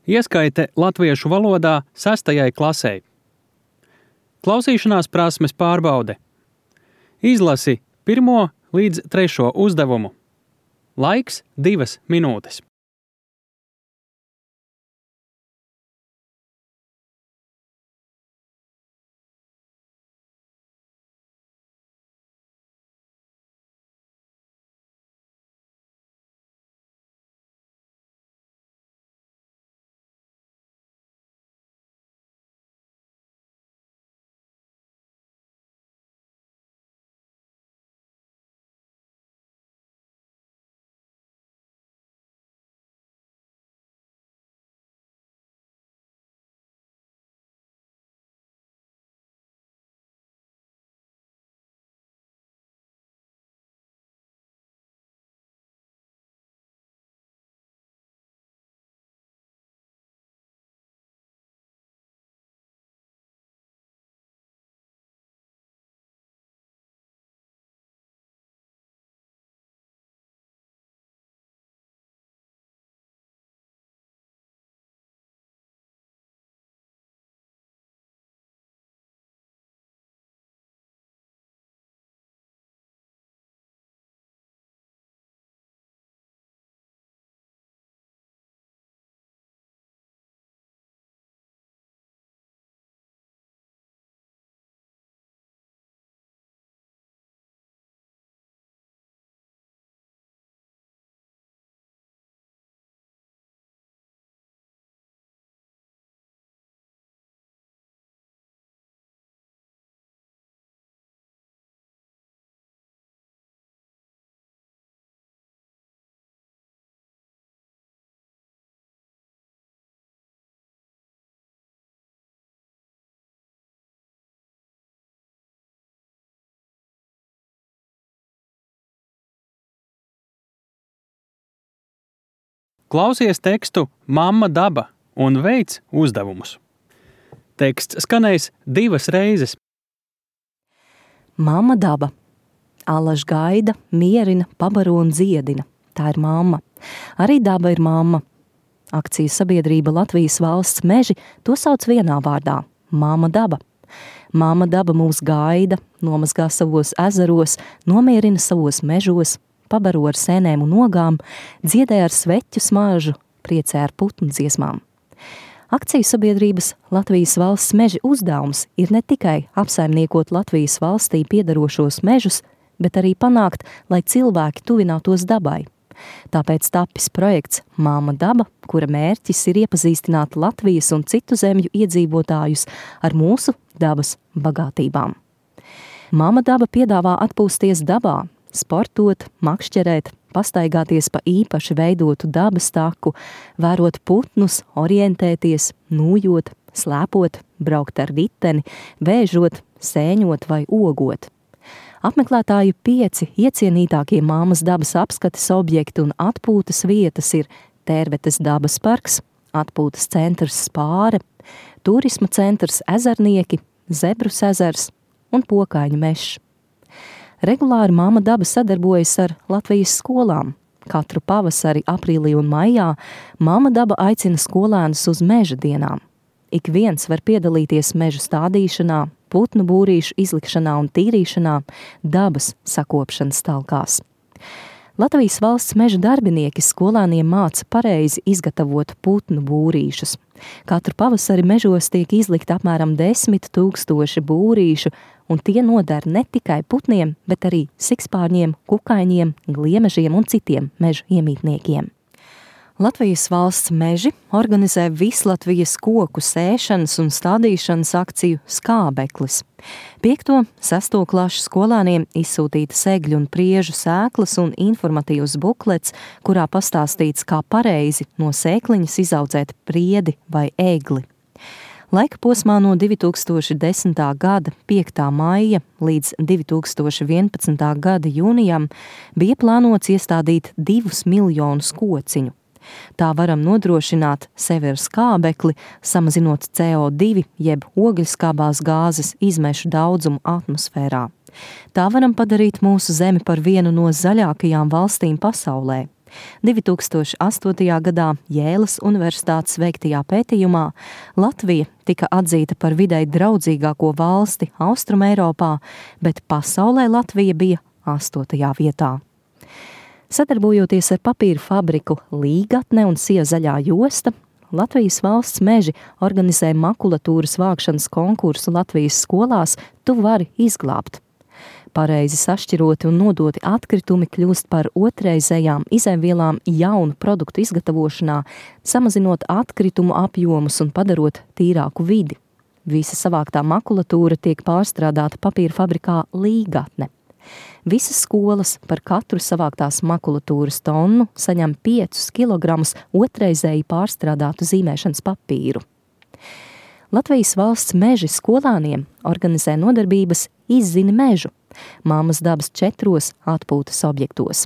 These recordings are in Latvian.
Ieskaite latviešu valodā 6. klasei. Klausīšanās prasmes pārbaude. Izlasi 1. līdz 3. uzdevumu. Laiks 2 minūtes. Klausies tekstu Mamma daba un veic uzdevumus. Teksts skanējis 2 reizes. Mamma daba. Allaž gaida, mierina, pabaro un dziedina. Tā ir mamma. Arī daba ir mamma. Akciju sabiedrība Latvijas valsts meži to sauc vienā vārdā – Mamma daba. Mamma daba mūs gaida, nomazgā savos ezeros, nomierina savos mežos, pabaro ar sēnēm un ogām, dziedē ar sveķu smaržu, priecē ar putnu dziesmām. Akciju sabiedrības Latvijas valsts meži uzdevums ir ne tikai apsaimniekot Latvijas valstī piederošos mežus, bet arī panākt, lai cilvēki tuvinātos dabai. Tāpēc tapis projekts Mamma daba, kura mērķis ir iepazīstināt Latvijas un citu zemju iedzīvotājus ar mūsu dabas bagātībām. Mamma daba piedāvā atpūsties dabā, sportot, makšķerēt, pastaigāties pa īpaši veidotu dabas taku, vērot putnus, orientēties, nūjot, slēpot, braukt ar riteni, vēžot, sēņot vai ogot. Apmeklētāju 5 iecienītākie Mammas dabas apskates objekti un atpūtas vietas ir Tērvetes dabas parks, atpūtas centrs Spāre, turisma centrs Ezernieki, Zebrus ezers un Pokaiņu mežs. Regulāri Mamma daba sadarbojas ar Latvijas skolām. Katru pavasari, aprīlī un maijā Mamma daba aicina skolēnus uz meža dienām. Ik viens var piedalīties mežu stādīšanā, putnu būrīšu izlikšanā un tīrīšanā, dabas sakopšanas talkās. Latvijas valsts meža darbinieki skolēniem māca pareizi izgatavot putnu būrīšus. Katru pavasari mežos tiek izlikt apmēram 10 000 būrīšu, un tie noder ne tikai putniem, bet arī sikspārņiem, kukaiņiem, gliemežiem un citiem mežu iemītniekiem. Latvijas valsts meži organizē Vislatvijas koku sēšanas un stādīšanas akciju Skābeklis. 5. 6. klašu skolēniem izsūtīta segļu un priežu sēklas un informatīvs buklets, kurā pastāstīts, kā pareizi no sēkliņas izaudzēt priedi vai egli. Laika posmā no 2010. gada 5. maija līdz 2011. gada jūnijam bija plānots iestādīt 2 miljonus kociņu. Tā varam nodrošināt sevi ar skābekli, samazinot CO2 jeb ogļskābās gāzes izmešu daudzumu atmosfērā. Tā varam padarīt mūsu zemi par vienu no zaļākajām valstīm pasaulē. 2008. gadā Jēlas Universitātes veiktajā pētījumā Latvija tika atzīta par videi draudzīgāko valsti Austrumeiropā, bet pasaulē Latvija bija 8. vietā. Sadarbojoties ar papīra fabriku Līgatne un Sija zaļā josta, Latvijas valsts meži organizē makulatūras vākšanas konkursu Latvijas skolās Tu vari izglābt. Pareizi sašķiroti un nodoti atkritumi kļūst par otrreizējām izēvielām jaunu produktu izgatavošanā, samazinot atkritumu apjomus un padarot tīrāku vidi. Visa savāktā makulatūra tiek pārstrādāta papīra fabrikā Līgatne. Visas skolas par katru savāktās makulatūras tonu saņem 5 kilogramus otrreizēji pārstrādātu zīmēšanas papīru. Latvijas valsts meži skolāniem organizē nodarbības Izzini mežu, Māmas dabas 4 atpūtas objektos.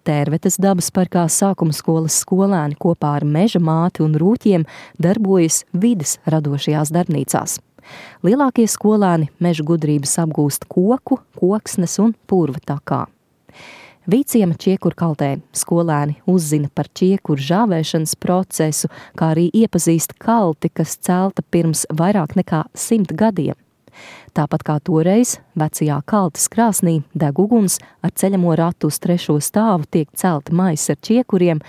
Tērvetes dabas parkā sākuma skolas skolēni kopā ar meža māti un rūķiem darbojas vides radošajās darbnīcās. Lielākie skolēni meža gudrības apgūst koku, koksnes un purva takā. Vīciema čiekurkaltē skolēni uzzina par čiekuru žāvēšanas procesu, kā arī iepazīst kalti, kas celta pirms vairāk nekā 100 gadiem. Tāpat kā toreiz, vecajā kaltas krāsnī deg uguns, ar ceļamo ratu uz 3. stāvu tiek celti maisi ar čiekuriem,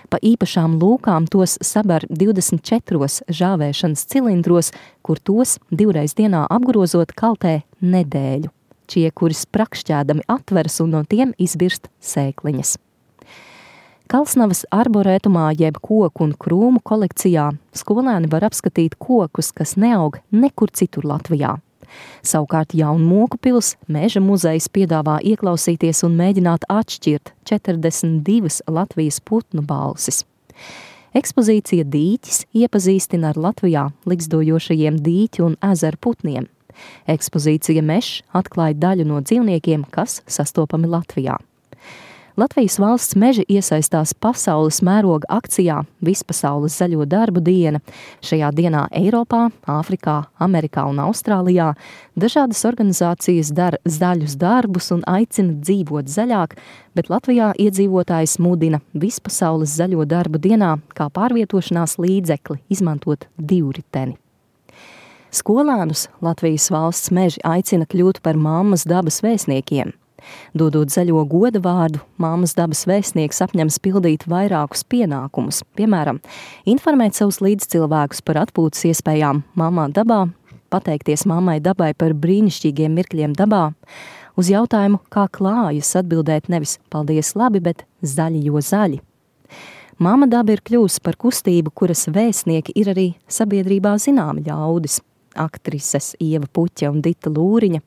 pa īpašām lūkām tos sabar 24 žāvēšanas cilindros, kur tos 2 reiz dienā apgrozot kaltē nedēļu. Čiekuri sprakšķēdami atveras un no tiem izbirst sēkliņas. Kalsnavas arborētumā jeb koku un krūmu kolekcijā skolēni var apskatīt kokus, kas neaug nekur citur Latvijā. Savukārt Jaunmoku pils meža muzejs piedāvā ieklausīties un mēģināt atšķirt 42 Latvijas putnu balsis. Ekspozīcija Dīķis iepazīstina ar Latvijā likstojošajiem dīķu un ezeru putniem. Ekspozīcija Mežs atklāja daļu no dzīvniekiem, kas sastopami Latvijā. Latvijas valsts meži iesaistās pasaules mēroga akcijā Vispasaules zaļo darbu diena. Šajā dienā Eiropā, Āfrikā, Amerikā un Austrālijā dažādas organizācijas dara zaļus darbus un aicina dzīvot zaļāk, bet Latvijā iedzīvotājs mudina Vispasaules zaļo darbu dienā kā pārvietošanās līdzekli izmantot divriteni. Skolēnus Latvijas valsts meži aicina kļūt par Māmas dabas vēstniekiem. Dodot zaļo goda vārdu, Māmas dabas vēstnieks apņems pildīt vairākus pienākumus, piemēram, informēt savus līdzcilvēkus par atpūtas iespējām Māmā dabā, pateikties Māmai dabai par brīnišķīgiem mirkļiem dabā, uz jautājumu, kā klājas atbildēt nevis paldies labi, bet zaļi jo zaļi. Māma daba ir kļūst par kustību, kuras vēstnieki ir arī sabiedrībā zināmi ļaudis. Aktrises Ieva Puķe un Dita Lūriņa,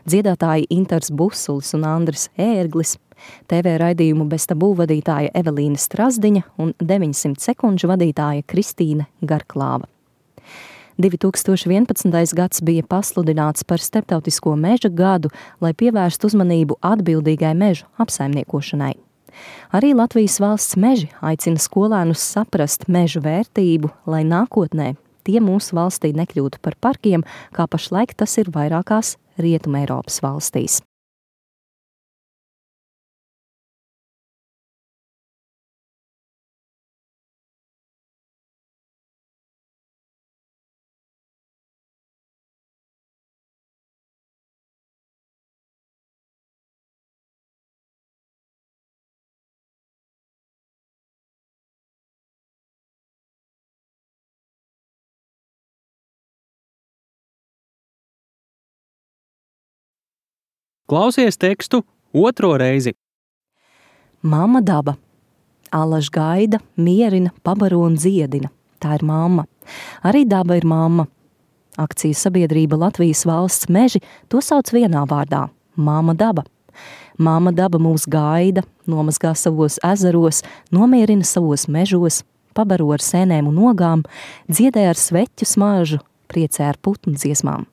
dziedātāji Intars Busulis un Andris Ērglis, TV raidījumu Bez tabū vadītāja Evelīna Strazdiņa un 900 sekundžu vadītāja Kristīne Garklāva. 2011. gads bija pasludināts par Starptautisko meža gadu, lai pievērstu uzmanību atbildīgai mežu apsaimniekošanai. Arī Latvijas valsts meži aicina skolēnus saprast mežu vērtību, lai nākotnē tie mūsu valstī nekļūtu par parkiem, kā pašlaik tas ir vairākās Rietumeiropas valstīs. Klausies tekstu 2. reizi. Māma daba. Allaž gaida, mierina, pabaro un dziedina. Tā ir mamma. Arī daba ir mamma. Akciju sabiedrība Latvijas valsts meži to sauc vienā vārdā – Māma daba. Māma daba mūs gaida, nomazgā savos ezeros, nomierina savos mežos, pabaro ar sēnēm un ogām, dziedē ar sveķu smaržu, priecē ar putnu dziesmām.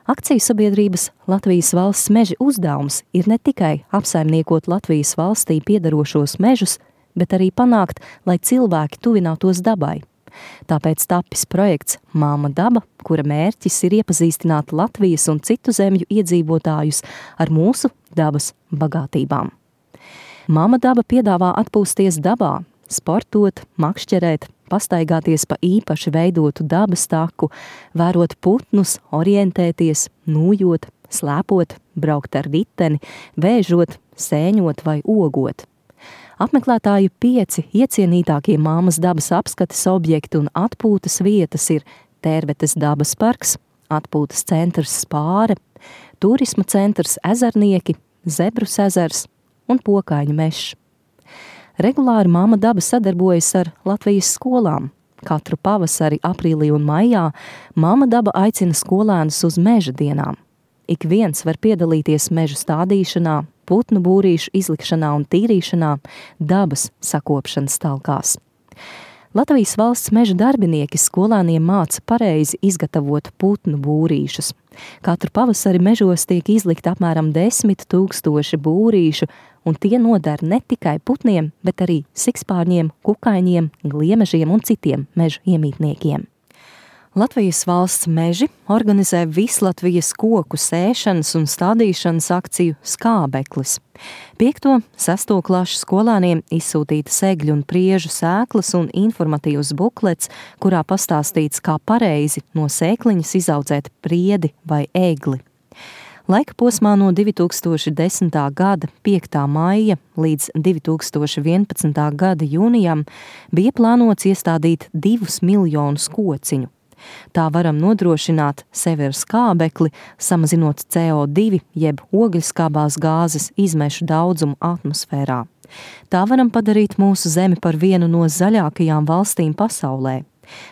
Akciju sabiedrības Latvijas valsts meži uzdevums ir ne tikai apsaimniekot Latvijas valstī piederošos mežus, bet arī panākt, lai cilvēki tuvinātos dabai. Tāpēc tapis projekts Māma daba, kura mērķis ir iepazīstināt Latvijas un citu zemju iedzīvotājus ar mūsu dabas bagātībām. Māma daba piedāvā atpūsties dabā, sportot, makšķerēt, pastaigāties pa īpaši veidotu dabas taku, vērot putnus, orientēties, nūjot, slēpot, braukt ar riteni, vēžot, sēņot vai ogot. Apmeklētāju 5 iecienītākie māmas dabas apskates objekti un atpūtas vietas ir Tērvetes dabas parks, atpūtas centrs Spāre, turisma centrs Ezernieki, Zebrus ezers un Pokaiņu mežs. Regulāri Māma daba sadarbojas ar Latvijas skolām. Katru pavasari, aprīlī un maijā Māma daba aicina skolēnus uz meža dienām. Ik viens var piedalīties mežu stādīšanā, putnu būrīšu izlikšanā un tīrīšanā, dabas sakopšanas talkās. Latvijas valsts meža darbinieki skolēniem māca pareizi izgatavot putnu būrīšus. Katru pavasari mežos tiek izlikt apmēram 10 000 būrīšu, un tie noder ne tikai putniem, bet arī sikspārņiem, kukaiņiem, gliemežiem un citiem mežu iemītniekiem. Latvijas valsts meži organizē Vislatvijas koku sēšanas un stādīšanas akciju Skābeklis. 5. 6. klašu skolēniem izsūtīta segļu un priežu sēklas un informatīvs buklets, kurā pastāstīts, kā pareizi no sēkliņas izaudzēt priedi vai egli. Laika posmā no 2010. gada 5. maija līdz 2011. gada jūnijam bija plānots iestādīt 2 miljonus kociņu. Tā varam nodrošināt sevi ar skābekli, samazinot CO2 jeb ogļskābās gāzes izmešu daudzumu atmosfērā. Tā varam padarīt mūsu zemi par vienu no zaļākajām valstīm pasaulē.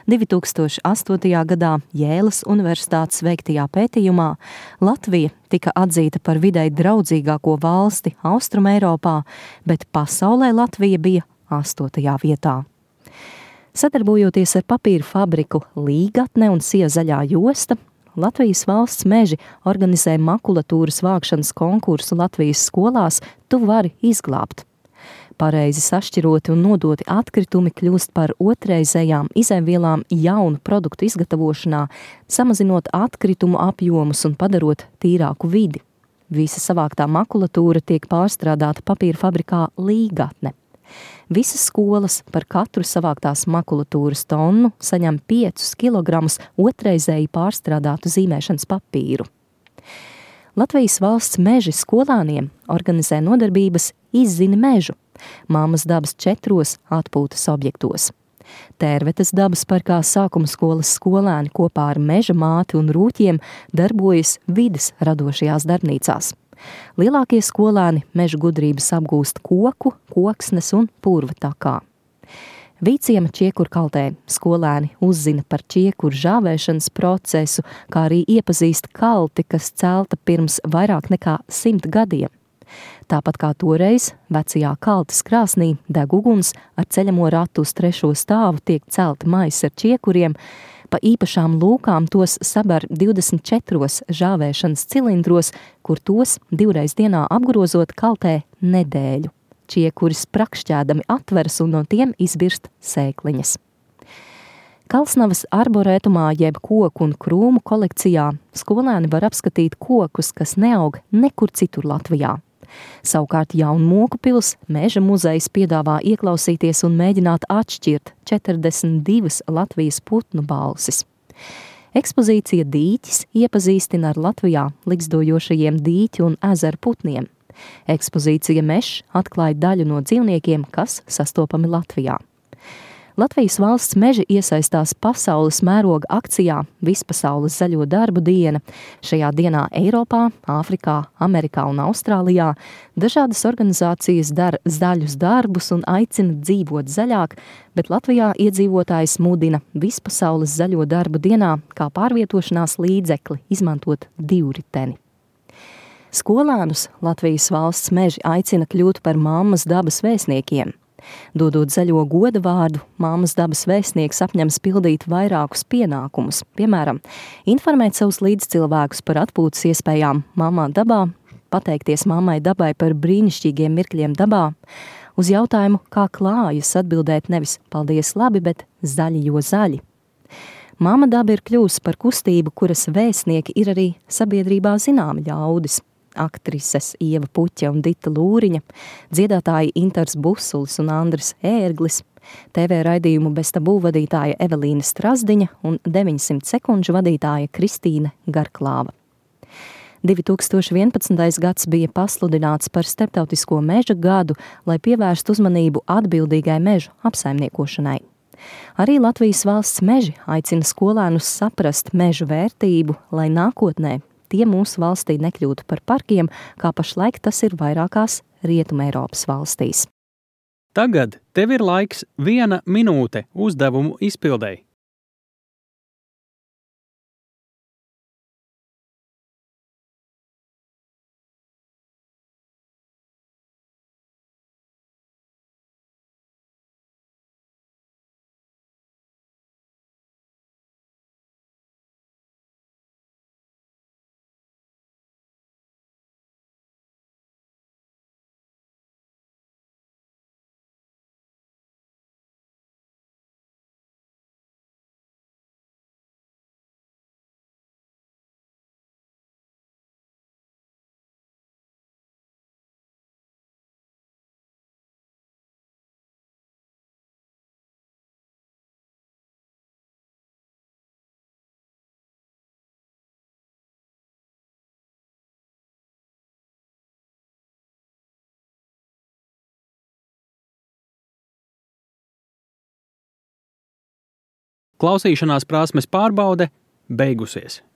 2008. gadā Jēlas universitātes veiktajā pētījumā Latvija tika atzīta par videi draudzīgāko valsti Austrumeiropā, bet pasaulē Latvija bija 8. vietā. Sadarbojoties ar papīra fabriku Līgatne un Siezaļā josta, Latvijas valsts meži organizē makulatūras vākšanas konkursu Latvijas skolās Tu vari izglābt. Pareizi sašķiroti un nodoti atkritumi kļūst par otrreizējām izēvielām jaunu produktu izgatavošanā, samazinot atkritumu apjomus un padarot tīrāku vidi. Visa savāktā makulatūra tiek pārstrādāta papīra fabrikā Līgatne. Visas skolas par katru savāktās makulatūras tonu saņem 5 kilogramus otrreizēji pārstrādātu zīmēšanas papīru. Latvijas valsts meži skolāniem organizē nodarbības Izzini mežu, Māmas dabas 4 atpūtas objektos. Tērvetes dabas parkā sākuma skolas skolēni kopā ar meža māti un rūķiem darbojas vides radošajās darbnīcās. Lielākie skolēni meža gudrības apgūst koku, koksnes un purva takā. Vīciema čiekurkaltē skolēni uzzina par čiekuru žāvēšanas procesu, kā arī iepazīst kalti, kas celta pirms vairāk nekā 100 gadiem. Tāpat kā toreiz, vecajā kaltes krāsnī deg uguns, ar ceļamo ratu uz 3. stāvu tiek celti maisi ar čiekuriem, pa īpašām lūkām tos sabar 24 žāvēšanas cilindros, kur tos 2 reiz dienā apgrozot kaltē nedēļu. Čiekuri sprakšķēdami atveras un no tiem izbirst sēkliņas. Kalsnavas arborētumā jeb koku un krūmu kolekcijā skolēni var apskatīt kokus, kas neaug nekur citur Latvijā. Savukārt Jaunmoku pils meža muzejs piedāvā ieklausīties un mēģināt atšķirt 42 Latvijas putnu balsis. Ekspozīcija Dīķis iepazīstina ar Latvijā ligzdojošajiem dīķu un ezeru putniem. Ekspozīcija Mežs atklāja daļu no dzīvniekiem, kas sastopami Latvijā. Latvijas valsts meži iesaistās pasaules mēroga akcijā Vispasaules zaļo darbu diena. Šajā dienā Eiropā, Āfrikā, Amerikā un Austrālijā dažādas organizācijas dara zaļus darbus un aicina dzīvot zaļāk, bet Latvijā iedzīvotājs mudina Vispasaules zaļo darbu dienā kā pārvietošanās līdzekli izmantot divriteni. Skolēnus Latvijas valsts meži aicina kļūt par Māmas dabas vēstniekiem. Dodot zaļo goda vārdu, Māmas dabas vēstnieks apņems pildīt vairākus pienākumus, piemēram, informēt savus līdzcilvēkus par atpūtas iespējām Māmā dabā, pateikties Māmai dabai par brīnišķīgiem mirkļiem dabā, uz jautājumu, kā klājas atbildēt nevis paldies labi, bet zaļi jo zaļi. Māma daba ir kļūst par kustību, kuras vēstnieki ir arī sabiedrībā zināmi ļaudis. aktrises Ieva Puķa un Dita Lūriņa, dziedātāji Intars Busulis un Andris Ērglis, TV raidījumu Bez tabū vadītāja Evelīna Strazdiņa un 900 sekundžu vadītāja Kristīne Garklāva. 2011. gads bija pasludināts par starptautisko meža gadu, lai pievērstu uzmanību atbildīgai mežu apsaimniekošanai. Arī Latvijas valsts meži aicina skolēnus saprast mežu vērtību, lai nākotnē tie mūsu valstī nekļūtu par parkiem, kā pašlaik tas ir vairākās Rietumē Eiropas valstīs. Tagad tev ir laiks 1 minūte uzdevumu izpildei. Klausīšanās prasmes pārbaude beigusies.